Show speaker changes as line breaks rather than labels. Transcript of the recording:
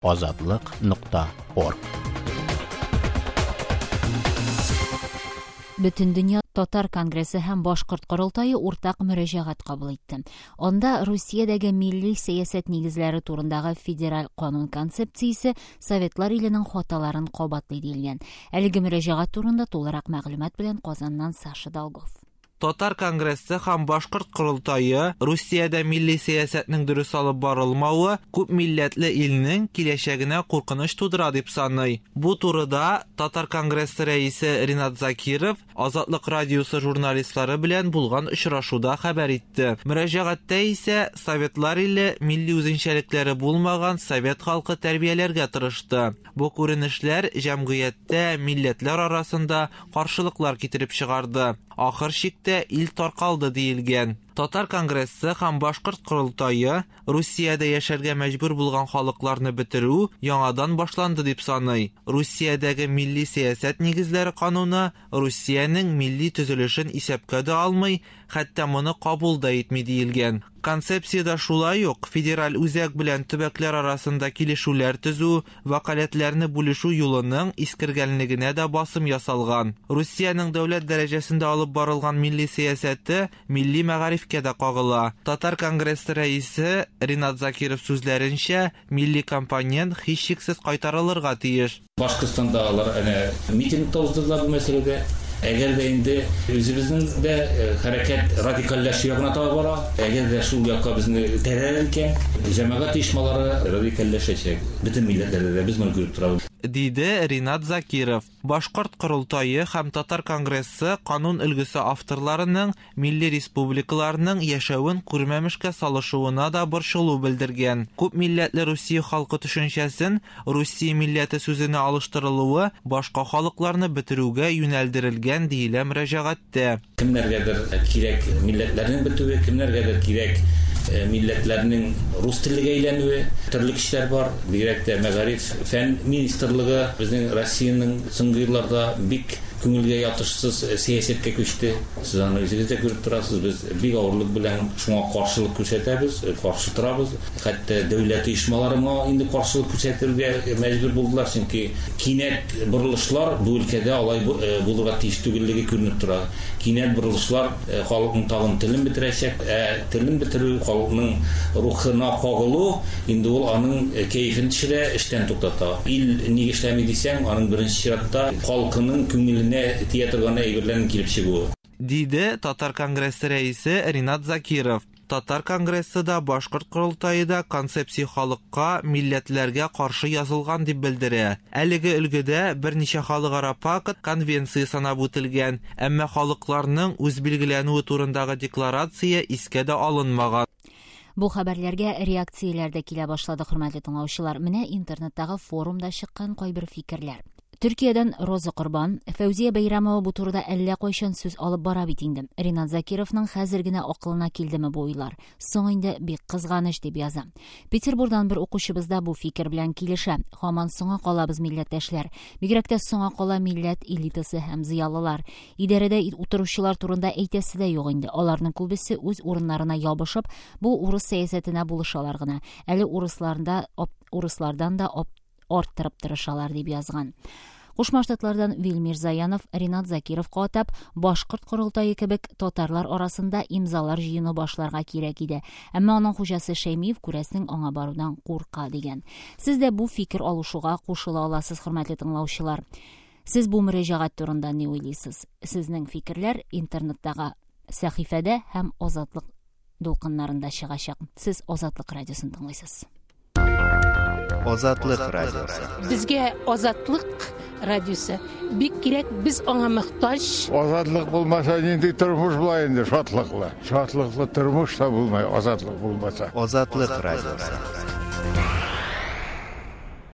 Азатлык нокта орг.
Бөтендөнья татар конгрессы һәм Башкорт корылтае уртак мөрәҗәгать кабул итте. Анда Русиядәге милли сәясәт нигезләре турындагы федераль канун концепциясе Советлар иленең хаталарын кабатлый диелгән. Әлеге мөрәҗәгать турында тулырак мәгълүмат белән Казаннан Саша Долгов.
Татар конгрессы һәм Башкорт корылтае Русиядә милли сәясәтнең дөрес алып барылмавы күп милләтле илнең киләчәгенә куркыныч тудыра дип саный. Бу турыда Татар конгрессы рәисе Ринат Закиров Азатлык радиосы журналистлары белән булган очрашуда хәбәр итте. Мөрәҗәгатьтә исә Советлар иле милли үзенчәлекләре булмаган совет халкы тәрбияләргә тырышты. Бу күренешләр җәмгыятьтә милләтләр арасында каршылыклар китереп чыгарды. Ахыр чиктә ил таркалды диелгән. Татар конгрессы һәм Башкорт корылтае Русиядә яшәргә мәҗбүр булган халыкларны бетерү яңадан башланды дип саный. Русиядәге милли сәясәт нигезләре кануны Русиянең милли төзелешен исәпкә дә алмый, хәтта моны кабул да итми диелгән. Концепциядә шулай ук федераль үзәк белән төбәкләр арасында килешүләр төзү, вәкаләтләрне бүлешү юлының искергәнлегенә дә басым ясалган. Русиянең дәүләт дәрәҗәсендә алып барылган милли сәясәте милли мәгарифкә дә кагыла. Татар конгрессы рәисе Ринат Закиров сүзләренчә, милли компонент һичшиксез кайтарылырга тиеш.
Башкортстанда алар әнә митинг та уздырдылар бу мәсьәләдә. Әгәр дә инде үзебезнең дә хәрәкәт радикальләшү ягына таба бара, әгәр дә шул якка безне этәрәләр икән, җәмәгать оешмалары радикальләшәчәк. Бөтен милләтләрдә дә без моны күреп торабыз.
Диде Ринат Закиров. Башкорт корылтае һәм Татар конгрессы канун өлгесе авторларының милли республикаларның яшәвен күрмәмешкә салышуына да борчылу белдергән. Күп милләтле Русия халкы төшенчәсен Русия милләте сүзенә алыштырылуы башка халыкларны бетерүгә юнәлдерелгән диелә мөрәҗәгатьтә.
Кемнәргәдер кирәк милләтләрнең бетүе, кемнәргәдер кирәк милләтләрнең рус теллегә әйләнүе. Төрле көчләр бар, бигрәк тә мәгариф, фән министрлыгы безнең Россиянең соңгы елларда бик күңелгә ятышсыз сәясәткә күчте. Сез аны үзегез дә күреп торасыз, без бик авырлык белән шуңа каршылык күрсәтәбез, каршы торабыз. Хәтта дәүләт оешмалары моңа инде каршылык күрсәтергә мәҗбүр булдылар, чөнки кинәт борылышлар бу өлкәдә алай булырга тиеш түгеллеге күренеп тора. Кинәт борылышлар халыкның тагын телен бетерәчәк, ә телен бетерү, халыкның рухына кагылу, инде ул аның кәефен төшерә, эштән туктата. Ил ник эшләми дисәң, аның беренче чиратта халкының күңеленә тия торган әйберләрнең килеп чыгуы.
Диде Татар конгрессы рәисе Ринат Закиров. Татар конгрессы да, Башкорт корылтае да концепция халыкка, милләтләргә каршы язылган дип белдерә. Әлеге өлгедә берничә халыкара пакт, конвенция санап үтелгән, әмма халыкларның үзбилгеләнүе турындагы декларация искә дә алынмаган.
Бу хәбәрләргә реакцияләр дә килә башлады, хөрмәтле тыңлаучылар. Менә интернеттагы форумда чыккан кайбер фикерләр. Төркиядән Роза Корбан, Фәүзия Бәйрәмова бу турыда әллә кайчан сүз алып бара бит инде. Ринат Закировның хәзер генә акылына килдеме бу уйлар? Соң инде бик кызганыч дип яза. Петербургдан бер укучыбыз да бу фикер белән килешә. Һаман соңа калабыз, милләттәшләр. Бигрәк тә соңа кала милләт элитасы һәм зыялылар. Идарәдә утыручылар турында әйтәсе дә юк инде. Аларның күбесе үз урыннарына ябышып, бу урыс сәясәтенә булышалар гына. Әле урысларда урыслардан да арттырып тырышалар дип язган. Кушма Штатлардан Вилмир Заянов Ринат Закировка атап, Башкорт корылтае кебек татарлар арасында имзалар җыюны башларга кирәк иде. Әмма аның хуҗасы Шәймиев, күрәсең, аңа барудан курка дигән. Сез дә бу фикер алышуга кушыла аласыз, хөрмәтле тыңлаучылар. Сез бу мөрәҗәгать турында ни уйлыйсыз? Сезнең фикерләр интернеттагы сәхифәдә һәм Азатлык дулкыннарында чыгачак. Сез Азатлык радиосын тыңлыйсыз.
Азатлык радиосы.
Безгә Азатлык радиосы бик кирәк, без аңа мохтаҗ.
Азатлык булмаса нинди тормыш була инде шатлыклы? Шатлыклы тормыш та булмай, азатлык булмаса.
Азатлык радиосы.